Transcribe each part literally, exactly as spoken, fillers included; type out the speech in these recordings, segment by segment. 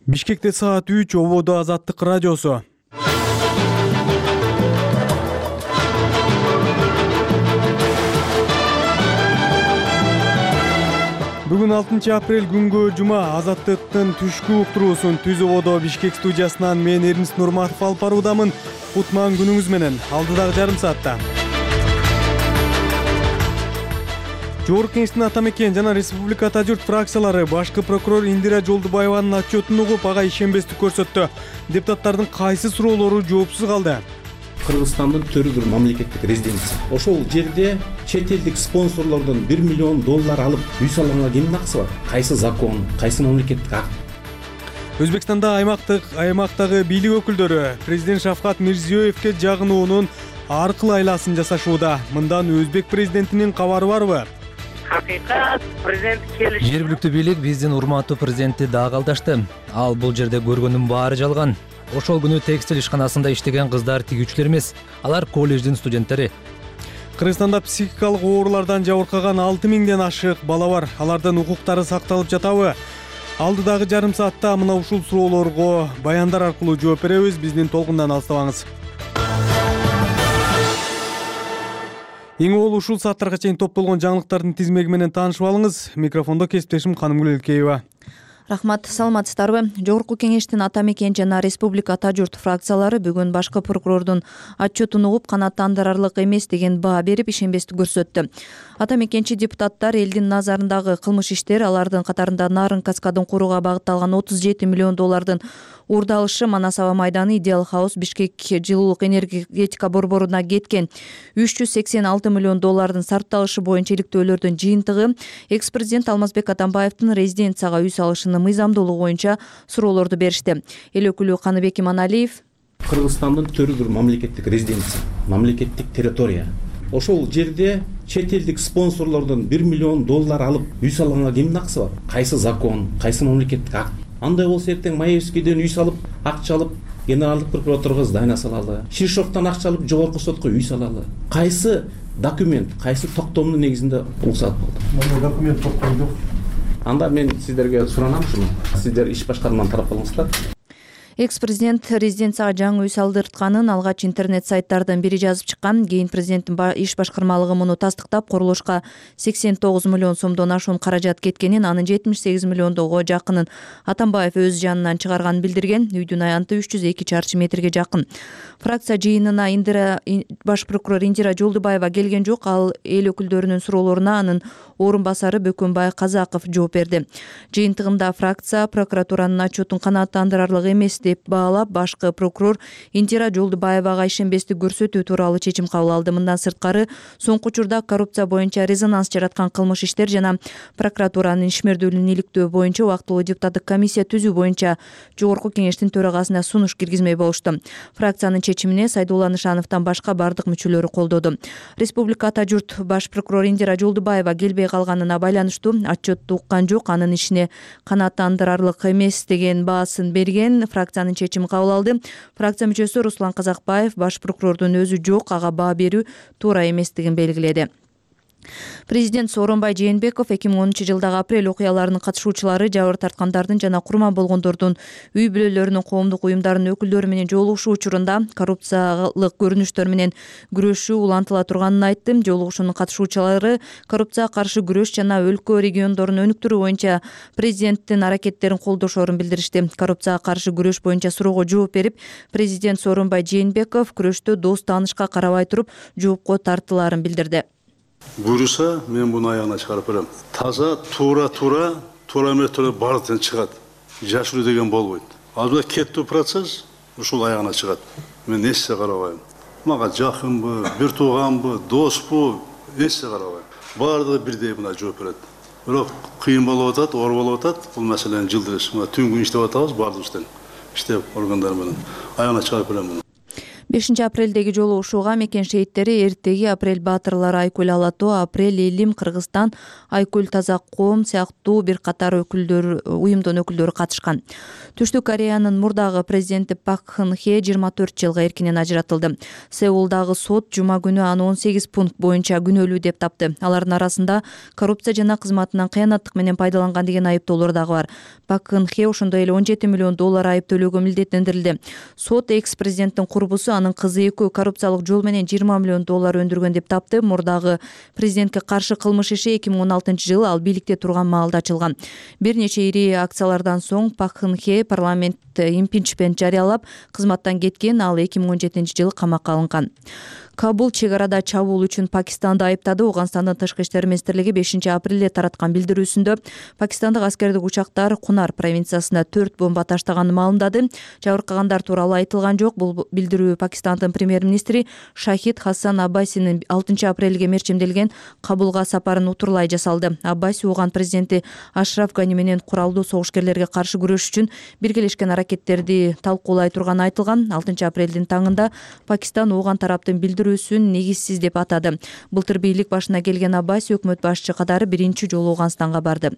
Бишкекте саат үч, ободо Азаттык радиосу. Бүгүн алтынчы апрель күнгө жума. Азаттыктын түшкү уктуруусун Түз ободо Бишкек студиясынан мен Эрмис Нурматов алып баруудамын. Кутман күнүңүз менен. Алдыдагы жарым саатта Жогорку Кеңештин Ата мекен жана Республика Ата журт фракциялары башкы прокурор Индира Жолдубаеванын отчетун угуп, ага ишенбестик көрсөттү. Депутаттардын кайсы суроолору жоопсуз калды? Кыргызстандын төрү бир мамлекеттик резиденция. Ошол жерде чет элдик спонсорлордон бир миллион доллар алып үй салганга кимдин акысы бар? Кайсы закон, кайсы мамлекеттик акт? Өзбекстанда аймактык аймактагы бийлик өкүлдөрү президент Шавкат Мирзиёевке жагынуунун ар кыл айласын жасашууда. Мындан өзбек президентинин кабары барбы? Hakikaten prezident kelişi. Жергиликтүү бийлик биздин урматтуу президентти дагы алдашты. Ал бул жерде көргөнүн баары жалган. Ошол күнү текстиль ишканасында иштеген кыздар тигүүчүлөр эмес, алар колледждин студенттери. Кыргызстанда психикалык оорулардан жабыркаган алты миңден ашык бала бар. Алардын укуктары сакталып жатабы? Алдыдагы жарым саатта мына ушул суроолорго баяндар аркылуу жооп беребиз. Биздин толкундан алыстабаңыз. Эң ол ушул сааттарга чейин топтолгон жаңылыктардын тизмеги менен таанышып алыңыз. Микрофондо кесиптешим Канымгүл Элкеева. Рахмат, саламатсыздарбы? Жогорку Кеңештин Ата мекен жана Республика Ата журт фракциялары бүгүн башкы прокурордун отчетун угуп, канааттандырарлык эмес деген баа берип, ишенбестик көрсөттү. Ата мекенчи депутаттар элдин назарындагы кылмыш иштер, алардын катарында Нарын каскадын курууга багытталган отуз жети миллион доллардын уурдалышы, Манас аба майданы, Идеал хаус, Бишкек жылуулук энергетика борборуна кеткен үч жүз сексен алты миллион доллардын сарпталышы боюнча иликтөөлөрдүн жыйынтыгы, экс-президент Алмазбек Атамбаевдин резиденцияга үй салышынын мыйзамдуулугу боюнча суроолорду беришти. Эл өкүлү Каныбек Иманалиев: Кыргызстандын төрү бир мамлекеттик резиденция, мамлекеттик территория. Ошол жерде чет элдик спонсорлордон бир миллион доллар алып үй салганга кимдин акысы бар? Кайсы закон, кайсы мамлекеттик акт? Андай болсо эртең Маевскийден үй салып, акча алып, генералдык прокуратурага здание салалы. Шишоктон акча алып, жогорку сотко үй салалы. Кайсы документ, кайсы токтомдун негизинде ул салып болду? Мына документ токтом жок. Анда мен сиздерге суранам ушуну. Сиздер иш башкарманын тарап болуңуздар. Экс-президент резиденцияга жаңы үй салдыртканын алгач интернет сайттардын бири жазып чыккан. Кийин президенттин иш башкармалыгы муну тастыктап, курулушка сексен тогуз миллион сомдон ашуун каражат кеткенин, анын жетимиш сегиз миллиондого жакынын Атамбаев өз жанынан чыгарганын билдирген. Үйдүн аянты үч жүз эки чарчы метрге жакын. Фракция жыйынына Индира баш прокурор Индира Жолдубаева келген жок. Ал эл өкүлдөрүнүн суроолоруна анын орун басары Бөкөнбай Казаков жооп берди. Жыйынтыгында фракция прокуратуранын отчетун канааттандырарлык эмес деп баалап, башкы прокурор Индира Жолдубаевага ишенбестик көрсөтүү тууралуу чечим кабыл алды. Мындан сырткары, соңку учурда коррупция боюнча резонанс жараткан кылмыш иштер жана прокуратуранын ишмердүүлүгүн иликтөө боюнча убактылуу депутаттык комиссия түзүү боюнча Жогорку Кеңештин төрагасына сунуш киргизмей болушту. Фракциянын чечимине Сайдулла Нышановдон башка бардык мүчөлөрү колдоду. Республика Ата журт баш прокурор Индира Жолдубаева келбей калганына байланыштуу отчетту уккан жок, анын ишине канааттандырарлык эмес деген баасын берген. Фракциянын чечими кабыл алды. Фракция мүчөсү Руслан Казакбаев баш прокурордун өзү жок, ага баа берүү туура эместигин белгиледи. Президент Сооронбай Жээнбеков эки миң онунчу жылдагы апрель окуяларынын катышуучулары, жабыр тарткандардын жана курман болгондордун үй бүлөлөрүнүн коомдук уюмдарынын өкүлдөрү менен жолугушуу учурунда коррупциялык көрүнүштөр менен күрөшүү улантыла турганын айтты. Жолугушуунун катышуучулары коррупцияга каршы күрөш жана өлкө региондорун өнүктүрүү боюнча президенттин аракеттерин колдошорун билдиришти. Коррупцияга каршы күрөш боюнча суроого жооп берип, президент Сооронбай Жээнбеков күрөштө дос таанышка карабай туруп жоопко тартылаарын билдирди. Буюрса, мен буну аягына чыгарып берем. Таза, туура, туура, туура эмес бардыктан чыгат. Жашыруу деген болбойт. Азыр кеттүү процесс ушул аягына чыгат. Мен эссе карабайм. Мага жакынбы, бир тууганбы, доспу, эссе карабайм. Бардыгы бирдей мына жооп берет. Бирок кыйын болуп атат, оор болуп атат. Бул маселени жылдырыш. Мына түн күн иштеп атабыз бардыгыбыз тең. Иштеп органдар менен аягына чыгарып берем. бешинчи апрелдеги жолугушууга мекен шейиттери эртеги апрель баатырлары Айкүл Алатоо, апрель Элим, Кыргызстан, Айкүл Таза Коом сыяктуу бир катар өкүлдөр уюмдун өкүлдөрү катышкан. Түштүк Кореянын мурдагы президенти Пак Кын Хе жыйырма төрт жылга эркинен ажыратылды. Сеулдагы сот жума күнү аны он сегиз пункт боюнча күнөөлүү деп тапты. Алардын арасында коррупция жана кызматынан кыянаттык менен пайдаланган деген айыптоолор дагы бар. Пак Кын Хе ошондой эле он жети миллион доллар айып төлөөгө милдеттендирилди. Сот экс-президенттин курбусу анын кызы экөө коррупциялык жол менен жыйырма миллион доллар өндүргөн деп тапты. Мурдагы президентке каршы кылмыш иши эки миң он алтынчы жылы ал бийликте турган маалда ачылган. Бир нече ири акциялардан соң Пак Кын Хе парламент импичмент жарыялап кызматтан кеткен. Ал эки миң он жетинчи жылы камакка алынган. Кабул чек арада чабуул үчүн Пакистанды айыптады. Ооганстандын тышкы иштер министрлиги бешинчи апрелде тараткан билдирүүсүндө пакистандык аскердик учактар Кунар провинциясына төрт бомба таштаганын маалымдады. Жабыркагандар тууралуу айтылган жок. Бул билдирүү Пакистандын премьер-министри Шахид Хасан Аббасинин алтынчы апрелге мерчимделген Кабулга сапарын утурлай жасалды. Аббаси Ооган президенти Ашраф Гани менен куралдуу согушкерлерге каршы күрөш үчүн биргелешкен аракеттерди талкуулай турганы айтылган. алтынчы апрелдин таңында Пакистан Ооган тараптын билдирүү билдирүүсүн негизсиз деп атады. Былтыр бийлик башына келген Аббаси өкмөт башчы катары биринчи жолу Ооганстанга барды.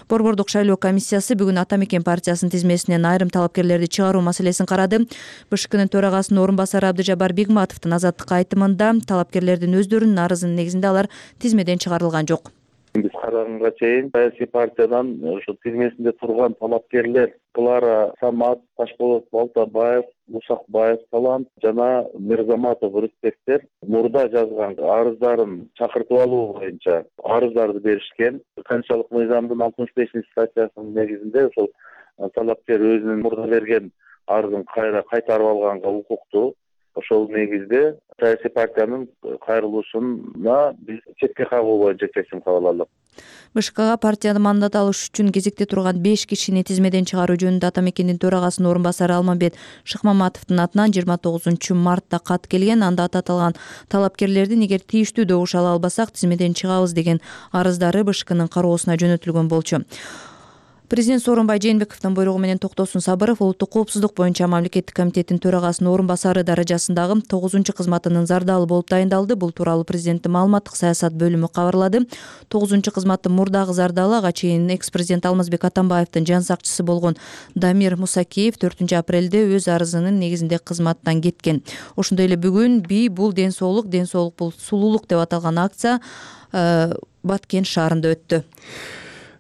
Борбордук шайлоо комиссиясы бүгүн Ата Мекен партиясынын тизмесинен айрым талапкерлерди чыгаруу маселесин карады. БШКнын төрагасынын орун басары Абдыжабар Бигматовдун азаттыкка айтымында талапкерлердин өздөрүнүн арызынын негизинде алар тизмеден чыгарылган жок. Биз караганга чейин саясий партиядан ошо тизмесинде турган талапкерлер Клара Самат, Ташполот Балтабаев, Мусакбаев Талант жана Мирзаматов Рүстектер мурда жазган арыздарын чакыртып алуу боюнча арыздарды беришкен. Конституциялык мыйзамдын алтымыш бешинчи статьясынын негизинде ошол талапкер өзүнүн мурда берген арызын кайра кайтарып алганга укуктуу. Ошол негизде саясий партиянын кайрылуусуна биз четке кагуу боюнча чечим кабыл алдык. БШКга партияны мандат алыш үчүн кезекте турган беш кишини тизмеден чыгаруу жөнүндө Ата Мекендин төрагасынын орун басары Алмамбет Шыкмаматовдун атынан жыйырма тогузунчу мартта кат келген. Анда аталган талапкерлердин эгер тийиштүү добуш ала албасак тизмеден чыгабыз деген арыздары БШКнын кароосуна жөнөтүлгөн болчу. Президент Сооронбай Жээнбековдун буйругу менен Токтосун Сабыров улуттук коопсуздук боюнча мамлекеттик комитеттин төрагасынын орун басары даражасындагы тогузунчу кызматынын зардалы болуп дайындалды. Бул тууралуу президенттин маалыматтык саясат бөлүмү кабарлады. тогузунчу кызматтын мурдагы зардалы ага чейин экс-президент Алмазбек Атамбаевдин жан сакчысы болгон Дамир Мусакеев төртүнчү апрелде өз арызынын негизинде кызматтан кеткен. Ошондой эле бүгүн бий бул ден соолук, ден соолук бул сулуулук деп аталган акция Баткен шаарында өттү.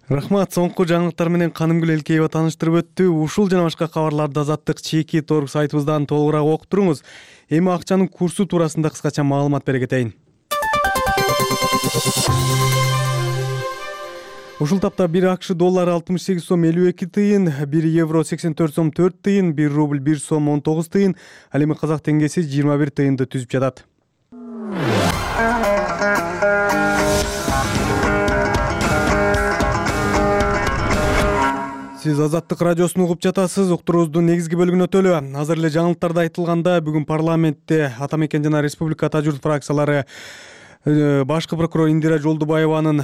Рахмат, соңку жаңылыктар менен Канымгүл Элкеева тааныштырып өттү. Ушул жана башка кабарларды Азаттык чеки торг сайтыбыздан толугураак окуп туруңуз. Эми акчанын курсу туурасында кыскача маалымат бере кетейин. Ушул тапта бир АКШ доллары алтымыш сегиз сом элүү эки тыйын, бир евро сексен төрт сом төрт тыйын, бир рубль бир сом он тогуз тыйын, ал эми казак теңгеси жыйырма бир тыйынды түзүп жатат. Сиз Азаттык радиосун угуп жатасыз. Уктуруубуздун негизги бөлүгүнө өтөлү. Азыр эле жаңылыктарда айтылганда бүгүн парламентте Ата Мекен жана Республика Ата журт фракциялары башкы прокурор Индира Жолдубаеванын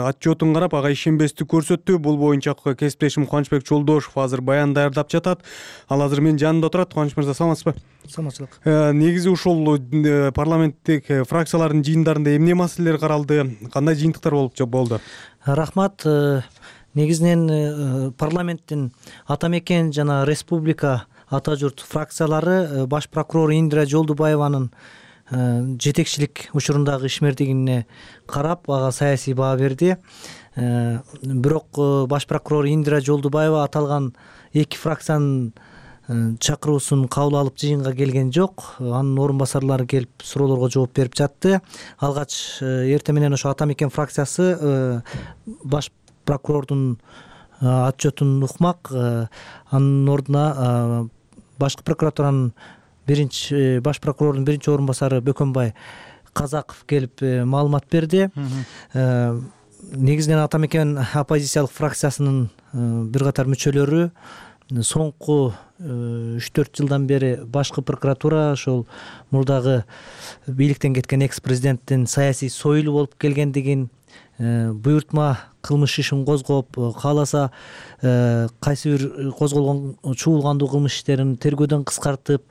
отчетун карап, ага ишенбестик көрсөттү. Бул боюнча кесиптешим Кубанычбек Жолдошев азыр баян даярдап жатат. Ал азыр менин жанымда отурат. Кубаныч мырза, саламатсызбы? Саламатчылык. Негизи ушул парламенттик фракциялардын жыйындарында эмне маселелер каралды? Кандай жыйынтыктар болуп болду? Рахмат. Негизинен парламенттин Ата Мекен жана Республика Ата журт фракциялары баш прокурор Индира Жолдубаеванын жетекчилик учурундагы ишмердигине карап, ага саясий баа берди. Бирок баш прокурор Индира Жолдубаева аталган эки фракциянын чакыруусун кабыл алып жыйынга келген жок. Анын орун басарлары келип суроолорго жооп берип жатты. Алгач эртең менен ошо Ата Мекен фракциясы баш прокурордун отчетун укмак. Анын ордуна башкы прокуратуранын биринчи баш прокурордун биринчи орун басары Бөкөнбай Казаков келип маалымат берди. Негизинен Ата Мекен оппозициялык фракциясынын бир катар мүчөлөрү соңку үч төрт жылдан бери башкы прокуратура ошол мурдагы бийликтен кеткен экс-президенттин саясий сойлу болуп келгендигин, буйртма кылмыш ишин козгоп, кааласа кайсы бир козголгон чуулгандуу кылмыш иштерин тергөөдөн кыскартып,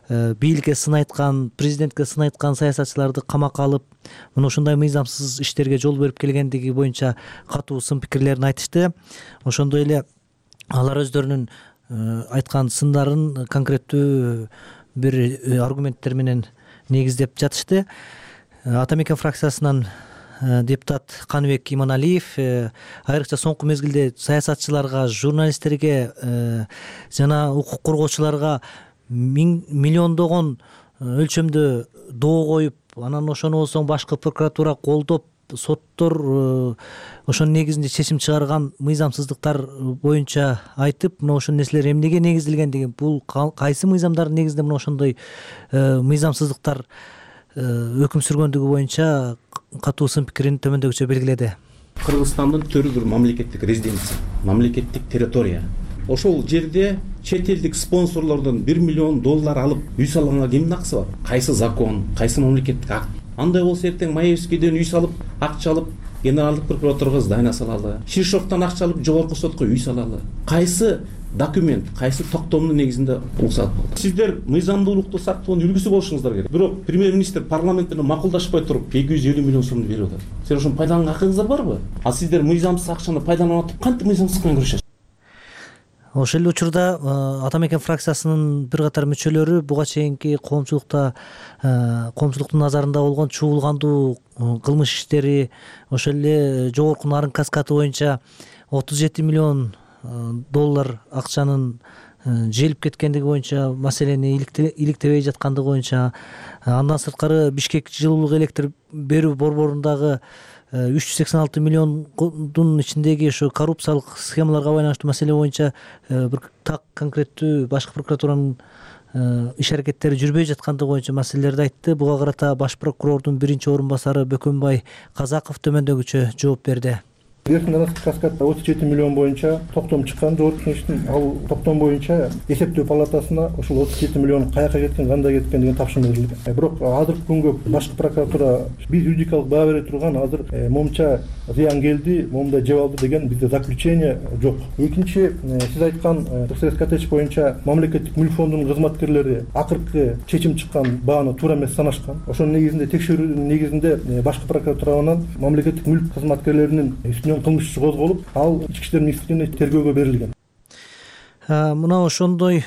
бийликке сын айткан, президентке сын айткан саясатчыларды камакка алып, мына ушундай мыйзамсыз иштерге жол берип келгендиги боюнча катуу сын пикирлерин айтышты. Ошондой эле алар өздөрүнүн айткан сындарын конкреттүү бир аргументтер менен негиздеп жатышты. Ата мекен фракциясынан депутат Каныбек Иманалиев айрыкча соңку мезгилде саясатчыларга, журналисттерге жана укук коргоочуларга миллиондогон өлчөмдө доо коюп, анан ошону болсоң башкы прокуратура колдоп, соттор ошонун негизинде чечим чыгарган мыйзамсыздыктар боюнча айтып, мына ошол нерселер эмнеге негизделгендиги, бул кайсы мыйзамдардын негизинде мына ошондой мыйзамсыздыктар өкүм сүргөндүгү боюнча катуу сын пикирин төмөндөгүчө белгиледи. Кыргызстандын төрү бир мамлекеттик резиденция, мамлекеттик территория. Ошол жерде чет элдик спонсорлордон бир миллион доллар алып үй салганга кимдин акысы бар? Кайсы закон, кайсы мамлекеттик акт? Андай болсо эртең Маевскийден үй салып, акча алып, генералдык прокуратурага здание салалы, Шишовдон акча алып, жогорку сотко үй салалы. Кайсы документ, кайсы токтомдун негизинде уруксат болду? Сиздер мыйзамдуулукту сактоонун үлгүсү болушуңуздар керек. Бирок премьер-министр парламент менен макулдашпай туруп эки жүз элүү миллион сомду берип атат. Силер ошону пайдаланганга акыңыздар барбы? А сиздер мыйзамсыз акчаны пайдаланып атып, кантип мыйзамсыздык менен күрөшөсүз? Ошол эле учурда Ата мекен фракциясынын бир катар мүчөлөрү буга чейинки коомчулукта коомчулуктун назарында болгон чуулгандуу кылмыш иштери, ошол эле жогорку нарын каскады боюнча отуз жети миллион доллар акчанын желип кеткендиги боюнча маселени иликтебей жаткандыгы боюнча, андан сырткары Бишкек жылуулук электр берүү борборундагы үч жүз сексен алты миллиондун ичиндеги ошо коррупциялык схемаларга байланыштуу маселе боюнча бир так конкреттүү башкы прокуратуранын иш аракеттери жүрбөй жаткандыгы боюнча маселелерди айтты. Буга карата баш прокурордун биринчи орун басары Бөкөнбай Казаков төмөндөгүчө жооп берди. Верхний каскадда отуз жети миллион боюнча токтом чыккан жогорку кеңештин, ал токтом боюнча эсептөө палатасына ошол отуз жети миллион каяка кеткен, кандай кеткен деген тапшырма берилген. Бирок азыркы күнгө башкы прокуратура биз юридикалык баа бере турган азыр момунча зыян келди, момундай жеп алды деген бизде заключение жок. Экинчи, сиз айткан ТСС коттедж боюнча мамлекеттик мүлк фондунун кызматкерлери акыркы чечим чыккан бааны туура эмес санашкан. Ошонун негизинде текшерүүнүн негизинде башкы прокуратуранын мамлекеттик мүлк кызматкерлеринин үстүнөн кылмыш иши козголуп, ал ички иштер министрлигине тергөөгө берилген. Мына ошондой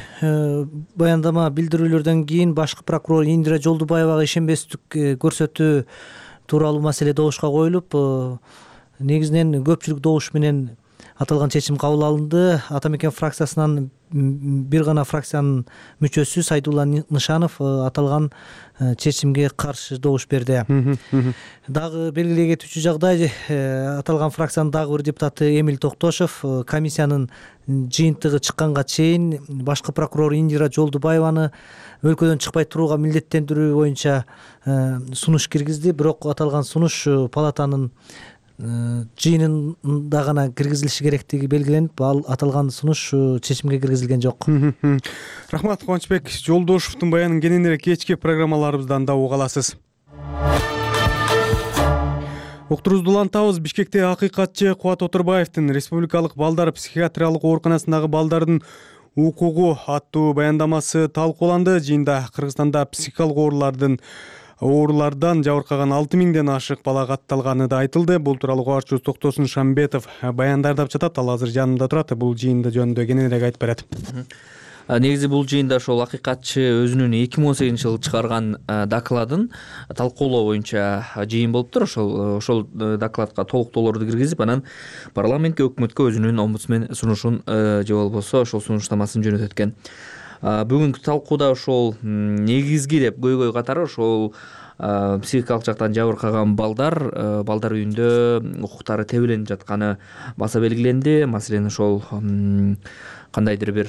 баяндама билдирүүлөрдөн кийин башкы прокурор Индира Жолдубаевага ишенбестик көрсөтүү тууралуу маселе добушка коюлуп, негизинен көпчүлүк добуш менен аталган чечим кабыл алынды. Ата мекен фракциясынан бир гана фракциянын мүчөсү Сайдулла Нышанов аталган чечимге каршы добуш берди. Дагы белгилей кетүүчү жагдай, аталган фракциянын дагы бир депутаты Эмиль Токтошов комиссиянын жыйынтыгы чыкканга чейин башкы прокурор Индира Жолдубаеваны өлкөдөн чыкпай турууга милдеттендирүү боюнча сунуш киргизди. Бирок аталган сунуш палатанын жыйынында гана киргизилиши керектиги белгиленип, ал аталган сунуш чечимге киргизилген жок. Рахмат, Кубанычбек Жолдошовдун баянын кененирээк кечки программаларыбыздан да уга аласыз. Уктурубузду улантабыз. Бишкекте акыйкатчы Кубат Отурбаевдин Республикалык балдар психиатриялык ооруканасындагы балдардын укугу аттуу баяндамасы талкууланды. Жыйында Кыргызстанда психикалык оорулардын оорулардан жабыркаган алты миңден ашык бала катталганы да айтылды. Бул тууралуу кабарчыбыз Токтосун Шамбетов баяндардап жатат. Ал азыр жанымда турат. Бул жыйында жөнүндө кененирээк айтып берет. Негизи бул жыйында ошол акыйкатчы өзүнүн эки миң он сегизинчи жылы чыгарган докладын талкуулоо боюнча жыйын болуптур. Ошол ошол докладка толуктоолорду киргизип, анан парламентке, өкмөткө өзүнүн омбудсмен сунушун же болбосо ошол сунуштамасын жөнөтөт экен. Бүгүнкү талкууда ошол негизги деп көйгөй катары ошол психикалык жактан жабыркаган балдар балдар үйүндө укуктары тебеленип жатканы баса белгиленди. Маселен, ошол кандайдыр бир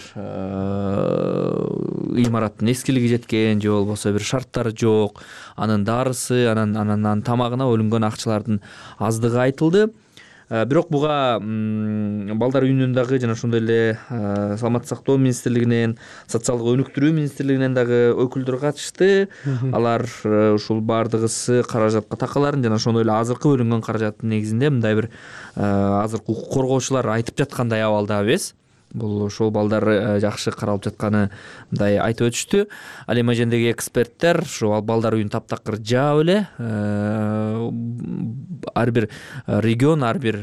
имараттын эскилиги жеткен же болбосо бир шарттары жок, анын дарысы, анан анан тамагына бөлүнгөн акчалардын аздыгы айтылды. бирок буга балдар үйүнүн дагы жана ошондой эле саламаттык сактоо министрлигинен, социалдык өнүктүрүү министрлигинен дагы өкүлдөр катышты. Алар ушул баардыгысы каражатка такаларын жана ошондой эле азыркы бөлүнгөн каражаттын негизинде мындай бир азыркы укук коргоочулар айтып жаткандай абалда эмес. Бул ошол балдар жакшы каралып жатканы мындай айтып өтүштү. Ал эми жердеги эксперттер ошол балдар үйүн таптакыр жаап эле ар бир регион, ар бир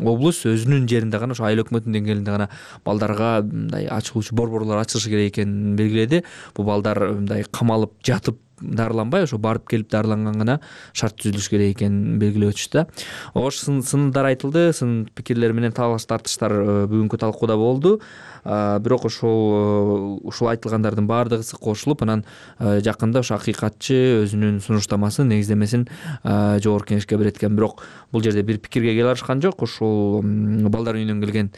облус өзүнүн жеринде гана, ошо айыл өкмөтүнүн деңгээлинде гана балдарга мындай ачылуучу борборлор ачылышы керек экенин белгиледи. Бул балдар мындай камалып жатып дарыланбай, ошо барып келип дарыланган гана шарт түзүлүш керек экенин белгилеп өтүштү да. Ош сындар айтылды, сын пикирлер менен талаш тартыштар бүгүнкү талкууда болду. Бирок ошол ушул айтылгандардын баардыгысы кошулуп, анан жакында ошо акыйкатчы өзүнүн сунуштамасын, негиздемесин жогорку кеңешке берет экен. Бирок бул жерде бир пикирге келе алышкан жок. Ошол балдар үйүнөн келген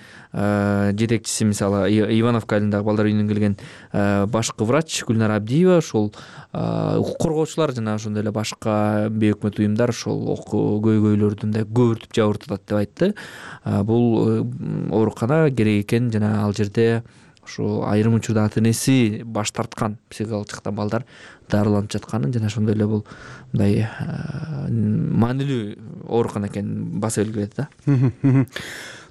жетекчиси, мисалы Ивановка айылындагы балдар үйүнөн келген башкы врач Гүлнара Абдиева ошол укук коргоочулар жана ошондой эле башка бейөкмөт уюмдар ошол көйгөйлөрдү мындай көбүртүп жабыртатат деп айтты. Бул оорукана керек экен жана ал жерде ошо айрым учурда ата энеси баш тарткан, психикалык жактан балдар дарыланып жатканын жана ошондой эле бул мындай маанилүү оорукана экенин баса белгиледи да.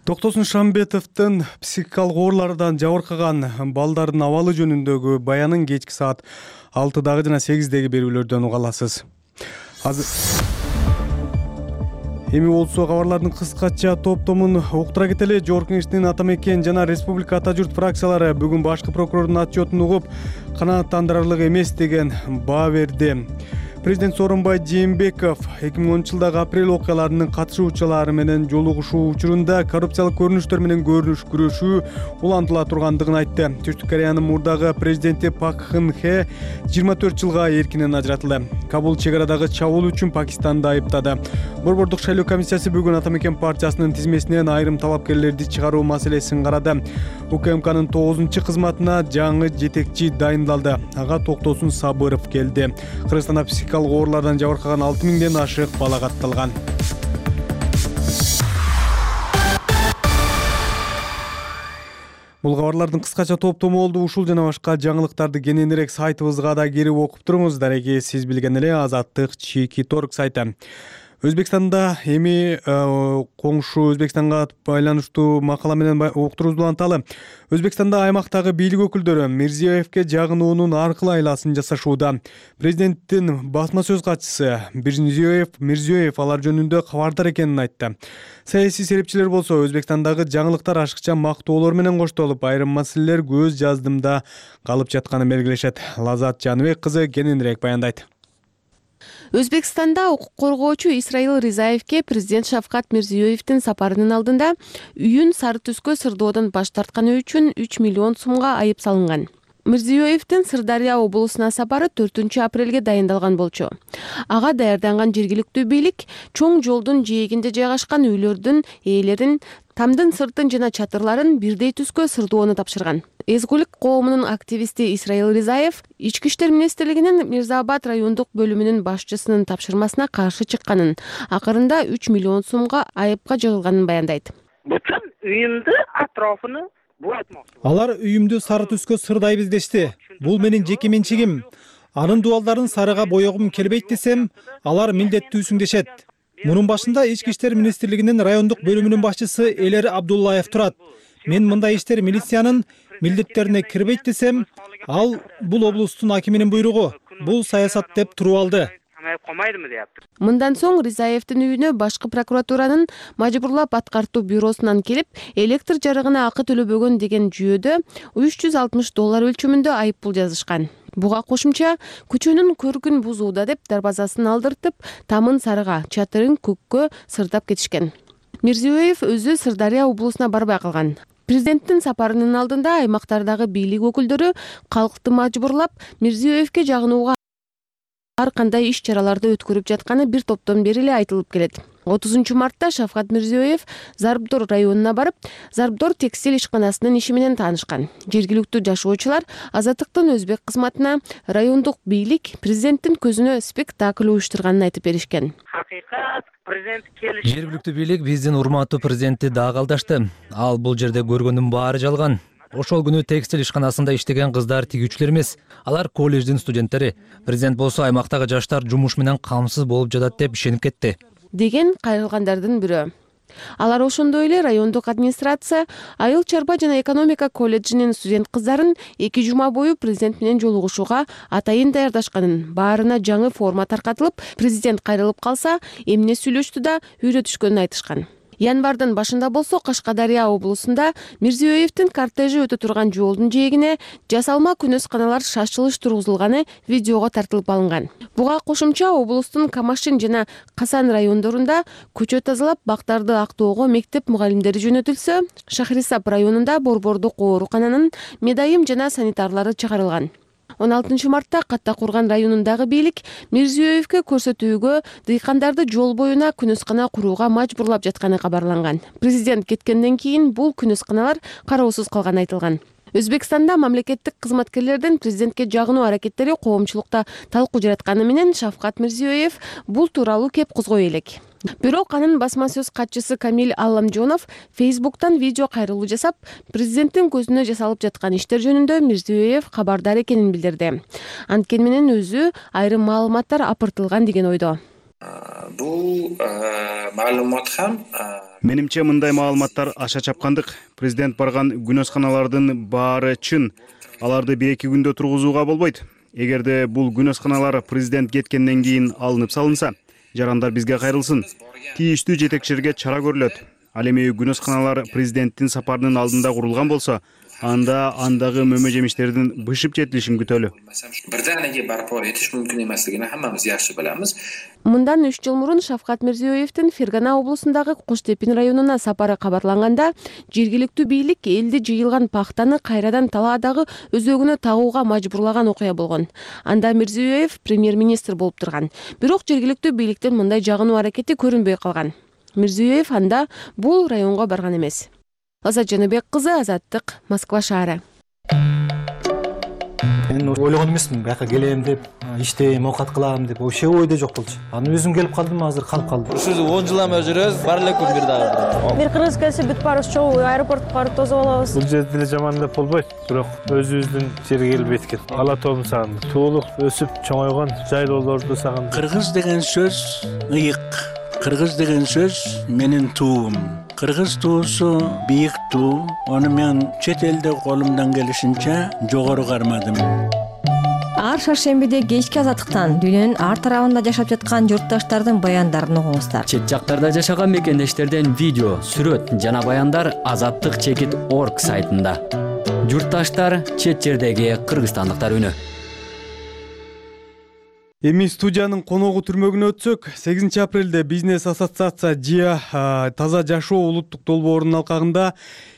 Токтосун Шамбетовдун психикалык оорулардан жабыркаган балдардын абалы жөнүндөгү баянын кечки саат алтыдагы жана сегиздеги берүүлөрдөн уга аласыз. Эми болсо кабарлардын кыскача топтомун уктура кетели. Жогорку Кеңештин Ата Мекен жана Республика Ата журт фракциялары бүгүн башкы прокурордун отчетун угуп, канааттандырарлык эмес деген баа берди. Президент Сооронбай Жээнбеков эки миң онунчу жылдагы апрель окуяларынын катышуучулары менен жолугушуу учурунда коррупциялык көрүнүштөр менен көрүнүш күрөшүү улантыла тургандыгын айтты. Түштүк Кореянын мурдагы президенти Пак Кын Хе жыйырма төрт жылга эркинен ажыратылды. Кабул чек арадагы чабуул үчүн Пакистанды айыптады. Борбордук шайлоо комиссиясы бүгүн Ата Мекен партиясынын тизмесинен айрым талапкерлерди чыгаруу маселесин карады. УКМКнын тогузунчу кызматына жаңы жетекчи дайындалды. Ага Токтосун Сабыров келди. Кыргызстанда психикалык оорулардан жабыркаган алты миңден ашык бала катталган. Бул кабарлардын кыскача топтому болду. Ушул жана башка жаңылыктарды кененирээк сайтыбызга да кирип окуп туруңуз. Дареги сиз билген эле Азаттык Чеки.Торг сайты. Өзбекстанда эми коңшу Өзбекстанга байланыштуу макала менен уктуруубузду уланталы. Өзбекстанда аймактагы бийлик өкүлдөрү Мирзиёевке жагынуунун аркылуу айласын жасашууда. Президенттин басма сөз катчысы Мирзиёев Мирзиёев алар жөнүндө кабардар экенин айтты. Саясий серепчилер болсо Өзбекстандагы жаңылыктар ашыкча мактоолор менен коштолуп, айрым маселелер көз жаздымда калып жатканын белгилешет. Лазат Жаныбек кызы кененирээк баяндайт. Өзбекстанда укук коргоочу Исраил Ризаевке президент Шавкат Мирзиёевдин сапарынын алдында үйүн сары түскө сырдоодон баш тартканы үчүн үч миллион сумга айып салынган. Мирзиёевдин Сырдария облусуна сапары төртүнчү апрелге дайындалган болчу. Ага даярданган жергиликтүү бийлик чоң жолдун жээгинде жайгашкан үйлөрдүн ээлерин, тамдын сыртын жана чатырларын бирдей түскө сырдоону тапшырган. Эзгүлүк коомунун активисти Исраил Ризаев Ички иштер министрлигинин Мирзаабад райондук бөлүмүнүн башчысынын тапшырмасына каршы чыкканын, акырында үч миллион сумга айыпка жыгылганын баяндайт. Бүтүн үйүмдү атрофуну Алар үйүмдү сары түскө сырдайбыз дешти. Бул менин жеке менчигим. Анын дубалдарын сарыга боёгум келбейт десем, алар милдеттүүсүң дешет. Мунун башында Ички иштер министрлигинин райондук бөлүмүнүн башчысы Элер Абдуллаев турат. Мен мындай иштер милициянын милдеттерине кирбейт десем, ал бул облустун акиминин буйругу. Бул саясат деп туруп алды. Мындан соң Ризаевдин үйүнө башкы прокуратуранын мажбурлап аткартуу бюросунан келип, электр жарыгына акы төлөбөгөн деген жүйөдө үч жүз алтымыш доллар өлчөмүндө айыппул жазышкан. Буга кошумча көчөнүн көркүн бузууда деп дарбазасын алдыртып, тамын сарыга, чатырын көккө сырдап кетишкен. Мирзиёев өзү Сырдария облусуна барбай калган. Президенттин сапарынын алдында аймактардагы бийлик өкүлдөрү калкты мажбурлап Мирзиёевке жагынууга ар кандай иш чараларды өткөрүп жатканы бир топтон бери эле айтылып келет. отузунчу мартта Шавкат Мирзиёев Зарбдор районуна барып, Зарбдор текстиль ишканасынын иши менен таанышкан. Жергиликтүү жашоочулар Азаттыктын өзбек кызматына райондук бийлик президенттин көзүнө спектакль уюштурганын айтып беришкен. Hakıkat prezident keliş. Жергиликтүү бийлик биздин урматтуу президентти дагы алдашты. Ал бул жерде көргөндүн баары жалган. Ошол күнү текстиль ишканасында иштеген кыздар тигүүчүлөр эмес. Алар колледждин студенттери. Президент болсо аймактагы жаштар жумуш менен камсыз болуп жатат деп ишенип кетти, деген кайрылгандардын бирөө. Алар ошондой эле райондук администрация Айыл чарба жана экономика колледжинин студент кыздарын эки жума бою президент менен жолугушууга атайын даярдашканын, баарына жаңы форма таркатылып, президент кайрылып калса, эмне сүйлөштү да үйрөтүшкөнүн айтышкан. Январдын башында болсо Кашкадария облусунда Мирзиёевдин кортежи өтө турган жолдун жээгине жасалма күнөсканалар шашылыш тургузулганы видеого тартылып алынган. Буга кошумча облустун Камашин жана Касан райондорунда көчө тазалап, бактарды актоого мектеп мугалимдери жөнөтүлсө, Шахрисап районунда Борбордук оорукананын медайым жана санитарлары чыгарылган. он алтынчы мартта Катта Курган районундагы бийлик Мирзиёевге көрсөтүүгө дыйкандарды жол боюна күнөскана курууга мажбурлап жатканы кабарланган. Президент кеткенден кийин бул күнөсканалар кароосуз калганы айтылган. Өзбекстанда мамлекеттик кызматкерлердин президентке жагынуу аракеттери коомчулукта талкуу жаратканы менен Шавкат Мирзиёев бул тууралуу кеп козгой элек. Бирок анын басма сөз катчысы Камил Алламжонов Фейсбуктан видео кайрылуу жасап, президенттин көзүнө жасалып жаткан иштер жөнүндө Мирзиёев кабардар экенин билдирди. Анткени менен өзү айрым маалыматтар апыртылган деген ойдо. Бул маалымат ham менимче мындай маалыматтар аша чапкандык. Президент барган күнөсканалардын баары чын. Аларды бир эки күндө тургузууга болбойт. Эгерде бул күнөсканалар президент кеткенден кийин алынып салынса, жарандар бизге кайрылсын. Тийиштүү жетекчилерге чара көрүлөт. Ал эми күнөсканалар президенттин сапарынын алдында курулган болсо, анда андагы мөмө жемиштердин бышып жетилишин күтөлү. Бирденеге барпор этиш мүмкүн эмеслигин хаммамыз жакшы билебиз. Мындан үч жыл мурун Шавкат Мирзиёевдин Фергана облусундагы Куштепин районуна сапары кабарланганда, жергиликтүү бийлик элди жыйылган пахтаны кайрадан талаадагы өзөгүнө тагууга мажбурлаган окуя болгон. Анда Мирзиёев премьер-министр болуп турган. Бирок жергиликтүү бийликтен мындай жагынуу аракети көрүнбөй калган. Мирзиёев анда бул районго барган эмес. Азат Жаныбек кызы, Азаттык, Москва шаары. Мен ойлогон эмесмин, бияка келем деп, иштейм, оокат кылам деп, вообще ойдо жок болчу. Аны өзүм келип калдым, азыр калып калдым. Ушул он жыл эме жүрөбүз, бар эле күн бир дагы. Бир кыргыз келсе бүт баарыбыз чогуу аэропортко барып тосуп алабыз. Бул жерде деле жаман деп болбойт, бирок өзүбүздүн жерге келбейт экен. Ала тоом сагындым. Туулук өсүп чоңойгон жайлоолорду сагындым. Кыргыз деген сөз ыйык. Кыргыз деген сөз менин туум. Кыргыз туусу бийик туу. Аны мен чет элде колумдан келишинче жогору кармадым. Ар шаршембиде кечки Азаттыктан дүйнөнүн ар тарабында жашап жаткан журтташтардын баяндарын угуңуздар. Чет жактарда жашаган мекендештерден видео, сүрөт жана баяндар азаттык чекит точка орг сайтында. Журтташтар, чет жердеги кыргызстандыктар үнү. Эми студиянын коногу түрмөгүнө өтсөк, сегизинчи апрелде бизнес ассоциация ЖИА Таза жашоо улуттук долбоорунун алкагында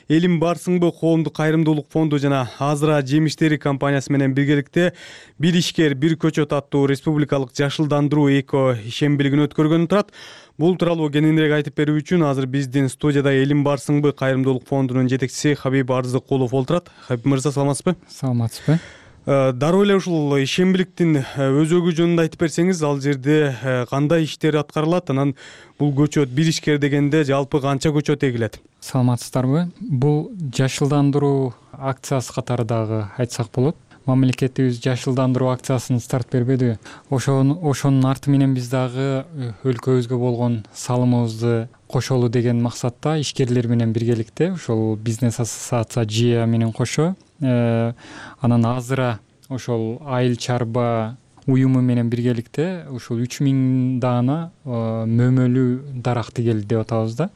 Элим барсыңбы коомдук кайрымдуулук фонду жана Азыра жемиштери компаниясы менен биргеликте бир ишкер бир көчөт аттуу республикалык жашылдандыруу эко ишембилигин өткөргөнү турат. Бул тууралуу кененирээк айтып берүү үчүн азыр биздин студияда Элим барсыңбы кайрымдуулук фондунун жетекчиси Хабиб Арзыкулов олтурат. Хабиб мырза, саламатсызбы? Саламатсызбы. Дароо эле ушул ишембиликтин өзөгү жөнүндө айтып берсеңиз, ал жерде кандай иштер аткарылат, анан бул көчөт бир ишкер дегенде жалпы канча көчөт эгилет? Саламатсыздарбы? Бул жашылдандыруу акциясы катары дагы айтсак болот. Мамлекетибиз жашылдандыруу акциясын старт бербеди. Ошонун ошонун арты менен биз дагы өлкөбүзгө болгон салымыбызды кошолу деген максатта ишкерлер менен биргеликте ошол бизнес ассоциация ЖИА менен кошо анан Азыра ошол айыл чарба уюму менен биргеликте ушул үч миң даана мөмөлүү дарак тигели деп атабыз да.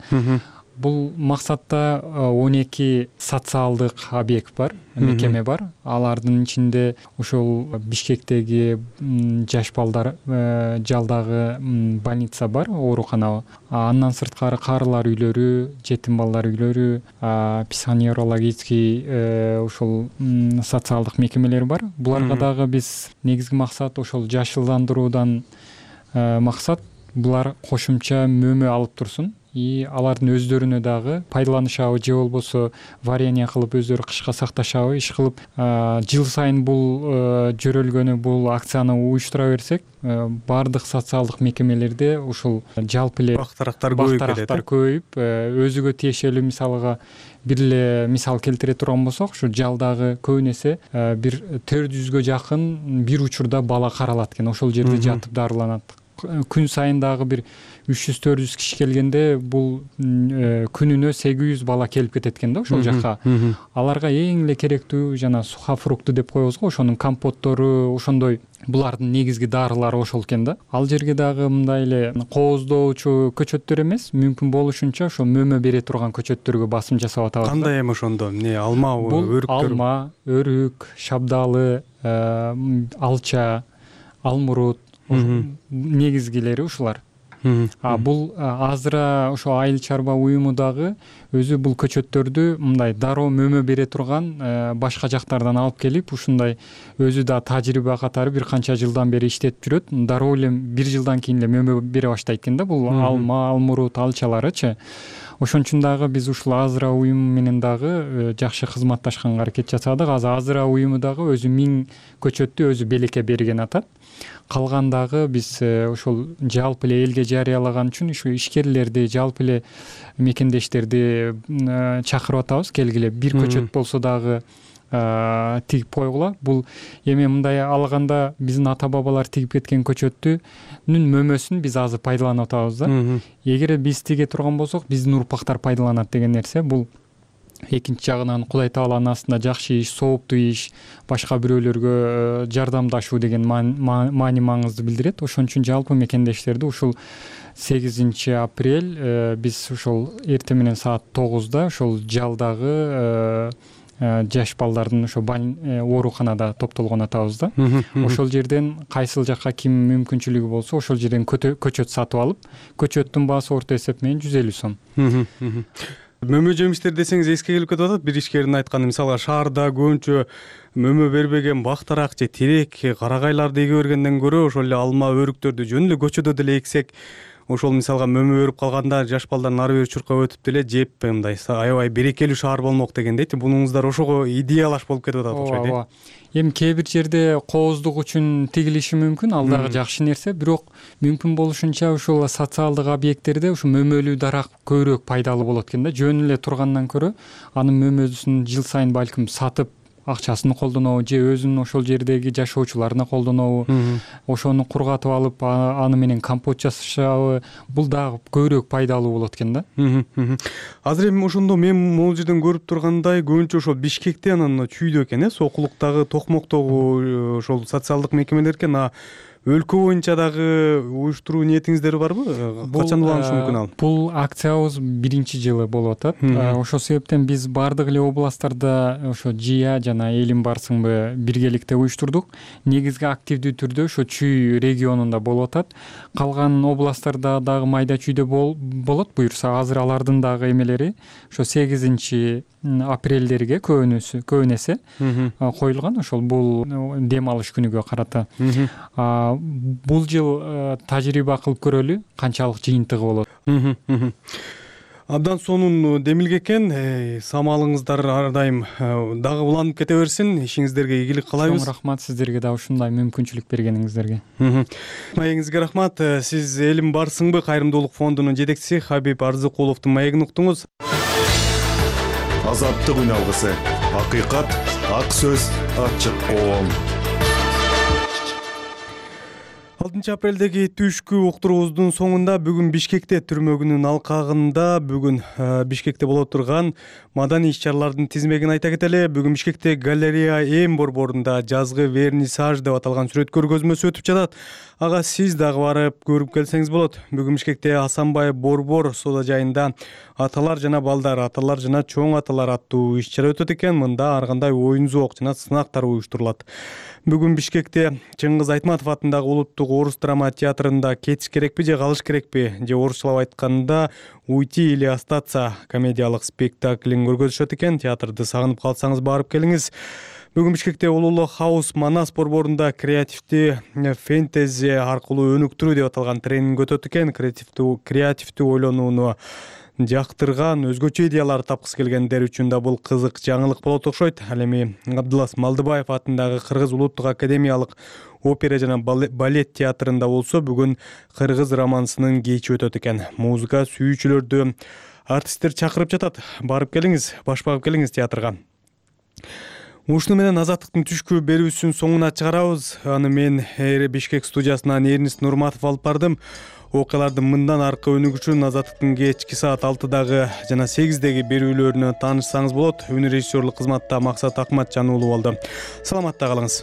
Бул максатта он эки социалдык объект бар, мекеме бар. Алардын ичинде ошол Бишкектеги жаш балдар жалдагы больница бар, оорукана. Андан сырткары карылар үйлөрү, жетим балдар үйлөрү, психоневрологический ошол социалдык мекемелер бар. Буларга дагы биз негизги максат ошол жашылдандыруудан максат булар кошумча мөмө алып турсун и алардын өздөрүнө дагы пайдаланышабы же болбосо варенье кылып өздөрү кышка сакташабы иш кылып жыл сайын бул жөрөлгөнү бул акцияны уюштура берсек баардык социалдык мекемелерде ушул жалпы эле бактарактар көбөйүп өзүгө тиешелүү мисалга бир эле мисал келтире турган болсок ушу жалдагы көбүн эсе бир төрт жүзгө жакын бир учурда бала каралат экен ошол жерде жатып дарыланат. Күн сайын дагы бир үч жүз төрт жүз киши келгенде бул күнүнө сегиз жүз бала келип кетет экен да ошол жакка. Аларга эң эле керектүү жана сухофрукты деп коебуз го, ошонун компоттору, ошондой булардын негизги дарылары ошол экен да. Ал жерге дагы мындай эле кооздоочу көчөттөр эмес, мүмкүн болушунча ошо мөмө бере турган көчөттөргө басым жасап атабыз. Кандай эми ошондо эмне алмабы, өрүктөр? Алма, өрүк, шабдалы, алча, алмурут негизгилери ушулар. А бул Азыра ошо айыл чарба уюму дагы өзү бул көчөттөрдү мындай дароо мөмө бере турган башка жактардан алып келип ушундай өзү да тажрыйба катары бир канча жылдан бери иштетип жүрөт. Дароо эле бир жылдан кийин эле мөмө бере баштайт экен да бул алма, алмурут, алчаларычы. Ошон үчүн дагы биз ушул Азыра уюму менен дагы жакшы кызматташканга аракет жасадык. Азыр Азыра уюму дагы өзү миң көчөттү өзү белекке берген атат. Калгандагы биз ошол жалпы эле элге жарыялаган үчүн ушу ишкерлерди, жалпы эле мекендештерди чакырып атабыз. Келгиле бир көчөт болсо дагы тигип койгула. Бул эми мындай алганда биздин ата бабалар тигип кеткен көчөттүнүн мөмөсүн биз азыр пайдаланып атабыз да. Эгер биз тиге турган болсок, биздин урпактар пайдаланат деген нерсе. Бул экинчи жагынан Кудай Тааланын астында жакшы иш, сооптуу иш, башка бирөөлөргө жардамдашуу деген маани маңызды билдирет. Ошон үчүн жалпы мекендештерди ушул сегизинчи апрель биз ушул эртең менен саат тогузда ошол жалдагы жаш балдардын ошо ооруканада топтолгон атабыз да. Ошол жерден кайсыл жакка ким мүмкүнчүлүгү болсо ошол жерден көчөт сатып алып, көчөттүн баасы орто эсеп менен жүз элүү сом. Мөмө жемиштер десеңиз эске келип кетип атат. Бир ишкердин айтканы, мисалга шаарда көбүнчө мөмө бербеген бактарак же терек, карагайларды эге бергенден көрө ошол эле алма, өрүктөрдү жөн эле көчөдө деле эксек, ошол мисалга мөмө өрүп калганда жаш балдардын ары бери чуркап өтүп деле жеп мындай аябай берекелүү шаар болмок дегендейти. Бунуңуздар ошого идеялаш болуп кетип атат окшойт. Ооба. Эми кээ бир жерде кооздук үчүн тигилиши мүмкүн, ал дагы жакшы нерсе, бирок мүмкүн болушунча ушул социалдык объекттерде ушу мөмөлүү дарак көбүрөөк пайдалуу болот экен да. Жөн эле тургандан көрө анын мөмөсүн жыл сайын балким сатып акчасын колдонобу же өзүнүн ошол жердеги жашоочуларына колдонобу, ошону кургатып алып аны менен компот жасашабы, бул дагы көбүрөөк пайдалуу болот экен да. Азыр эми ошондо мен могул жерден көрүп тургандай көбүнчө ошол Бишкекте анан чүйдө экен, э, Сокулуктагы, Токмоктогу ошол социалдык мекемелер экен. А өлкө боюнча дагы уюштуруу ниетиңиздер барбы? Качан уланышы мүмкүн ал? Бул акциябыз биринчи жылы болуп атат. Ошол себептен биз бардык эле областтарда ошо Жия жана Элим барсыңбы биргеликте уюштурдук. Негизги активдүү түрдө ошо Чүй регионунда болуп атат. Калган областтарда дагы майда чүйдө болот буюрса. Азыр алардын дагы эмелери ошо сегизинчи апрелдерге көбүнөсү көбүн эсе коюлган. Ошол бул дем алыш күнүгө карата. Бул жыл тажрыйба кылып көрөлү канчалык жыйынтыгы болот. Абдан сонун демилге экен. Самалыңыздар ар дайым дагы уланып кете берсин. Ишиңиздерге ийгилик каалайбыз. Чоң рахмат сиздерге да ушундай мүмкүнчүлүк бергениңиздерге. Маегиңизге рахмат. Сиз Элим барсыңбы кайрымдуулук фондунун жетекчиси Хабиб Арзыкуловдун маегин уктуңуз. Азаттык үн алгысы. Акыйкат, ак сөз, ачык коом. алтынчы апрелдеги түшкү уктуруубуздун соңунда бүгүн Бишкекте түрмө күнүнүн алкагында бүгүн Бишкекте боло турган маданий иш-чаралардын тизмегин айта кетели. Бүгүн Бишкекте галерея Эм борборунда жазгы вернисаж деп аталган сүрөт көргөзмөсү өтүп жатат. Ага сиз дагы барып көрүп келсеңиз болот. Бүгүн Бишкекте Асанбай борбор соода жайында аталар жана балдар, аталар жана чоң аталар аттуу иш-чара өтөт экен. Мында ар кандай оюн зоок жана сынактар уюштурулат. Бүгүн Бишкекте Чыңгыз Айтматов атындагы улуттук орус драма театрында кетиш керекпи же калыш керекпи же орусчалап айтканда уйти или остаться комедиялык спектаклин көргөзүшөт экен. Театрды сагынып калсаңыз барып келиңиз. Бүгүн Бишкекте Улуулук Хаус Манас борборунда креативдүү фэнтези аркылуу өнүктүрүү деп аталган тренинг өтөт экен. Креативдүү креативдүү ойлонууну жактырган, өзгөчө идеялар тапкысы келгендер үчүн да бул кызык жаңылык болот окшойт. Ал эми Абдылас Малдыбаев атындагы Кыргыз улуттук академиялык опера жана балет театрында болсо бүгүн кыргыз романсынын кечи өтөт экен. Музыка сүйүүчүлөрдү артисттер чакырып жатат. Барып келиңиз, баш багып келиңиз театрга. Ушуну менен Азаттыктын түшкү берүүсүнүн соңуна чыгарабыз. Аны мен Бишкек студиясынан Эрнис Нурматов алып бардым. Окуялардын мындан аркы өнүгү үчүн Азаттыктын кечки саат алтыдагы жана сегиздеги берүүлөрүнө таанышсаңыз болот. Үн режиссерлук кызматта Максат Акматжан уулу болду. Саламатта калыңыз.